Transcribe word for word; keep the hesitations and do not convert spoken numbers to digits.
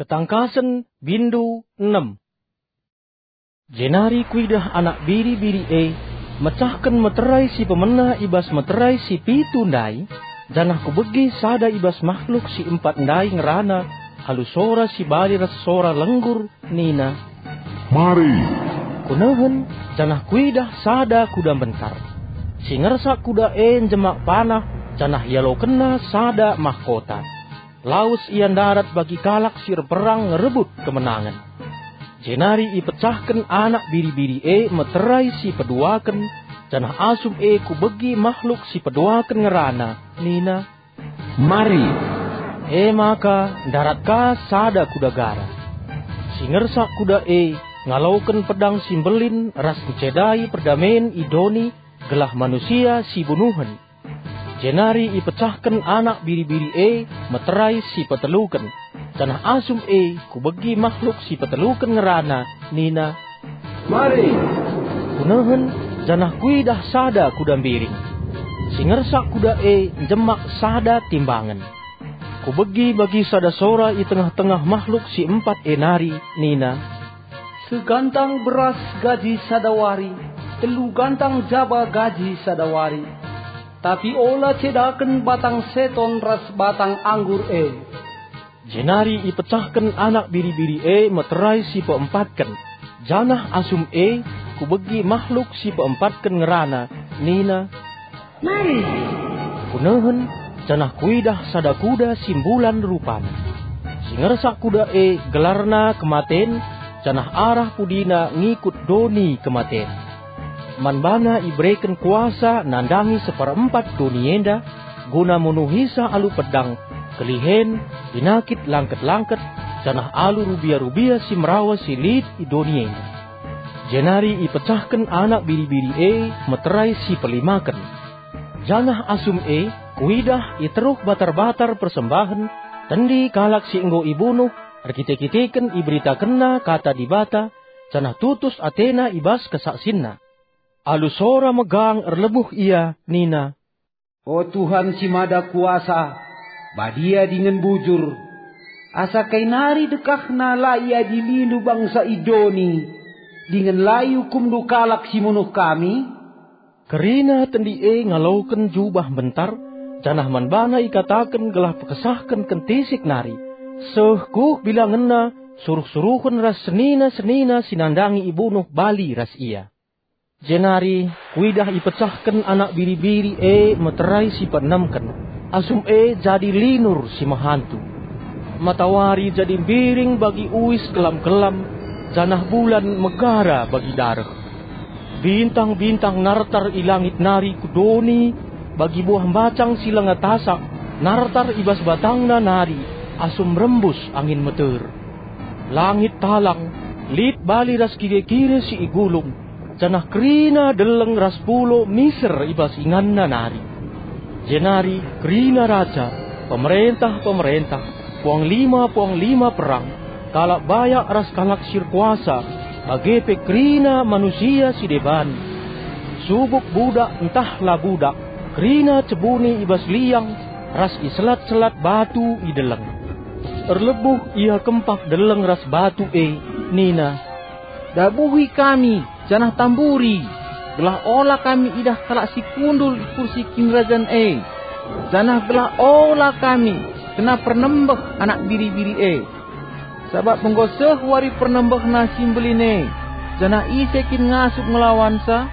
Ketangkasen, bindu enem. Jenari kuidah Anak Biri-biri e mecahken meterai si pemena i bas meterai si pitu ndai, janah kubegi sada i bas mahluk si empat ndai ngerana alu sora si bali ras sora lenggur nina, "Mari!" Kunehen, janah kuidah sada kuda mbentar. Si ngersak kuda e njemak panah, janah ialokenna sada mahkota. Lawes ia ndarat bagi kalak si erperang ngerebut kemenangen. Jenari ipecahken Anak Biri-biri e meterai si peduaken, janah asum e kubegi mahluk si peduaken ngerana, nina, "Mari!" E maka ndarat ka sada kuda gara. Si ngersak kuda e ngaloken pedang si mbelin ras ncedai perdamen i doni gelah manusia si bunuhen. Jenari ipecahken Anak Biri-biri e meterai si peteluken, janah asum e kubegi mahluk si peteluken ngerana, nina, "Mari!" Kunehen, janah kuidah sada kuda mbiring. Si ngersak kuda e njemak sada timbangen. Kubegi bagi sada sora i tengah-tengah mahluk si empat e nari nina, "Segantang beras gaji sada wari, telu gantang jaba gaji sada wari. Tapi ola cedaken batang seton ras batang anggur e." Jenari ipecahken Anak Biri-biri e meterai si peempatken, janah asum e kubegi mahluk si peempatken ngerana, nina, "Mari!" Kunehen, janah kuidah sada kuda si mbulan rupana. Si ngersak kuda e gelarna Kematen, janah arah pudina ngikut doni kematen. Man bana ibereken kuasa nandangi seperempat doni enda, guna munuhisa alu pedang, kelihen, pinakit langket-langket, janah alu rubia-rubia si merawa si lit i doni enda. Jenari ipecahken Anak Biri-biri e meterai si pelimaken. Janah asum e kuidah i teruh batar-batar persembahen, tendi kalak si enggo ibunuh, erkite-kiteken iberitakenna kata Dibata, janah tutus atena i bas kesaksinna. Alu sora megang erlebuh ia nina, "O Tuhan si Mada Kuasa, badia dingen bujur, asa kai nari dekahna la iadilindu bangsa i doni, dingen la iukumndu kalak si munuh kami?" Kerina tendi e ngaloken jubah mbentar, janah man bana ikataken gelah pekesahken kentisik nari, seh kuh bilangenna suruh-suruhen ras senina-senina si nandangi ibunuh bali ras ia. Jenari kuidah ipecahken Anak Biri-biri e meterai si peenemken, asum e jadi linur si mehantu. Matawari jadi mbiring bagi uis kelam-kelam, janah bulan megara bagi dareh. Bintang-bintang nartar i langit nari ku doni, bagi buah mbacang si langa tasak nartar i bas batangna nari asum rembus angin meter. Langit talang, lit bali ras kire-kire si igulung, janah kerina deleng ras pulo miser i bas inganna nari. Jenari kerina raja, pemerentah-pemerentah, puanglima-puanglima perang, kalak bayak ras kalak si erkuasa, bage pe kerina manusia si deban, subuk budak ntah la budak, kerina cebuni i bas liang ras i selat-selat batu i deleng. Erlebuh ia kempak deleng ras batu e, nina, "Dabuhi kami, janah tamburi, gelah ola kami idah kalak si kundul i kursi kinirajan e, janah gelah ola kami kena pernembeh Anak Biri-biri e. Sabap enggo seh wari pernembehna si mbelin e, janah ise kin ngasup ngelawansa?"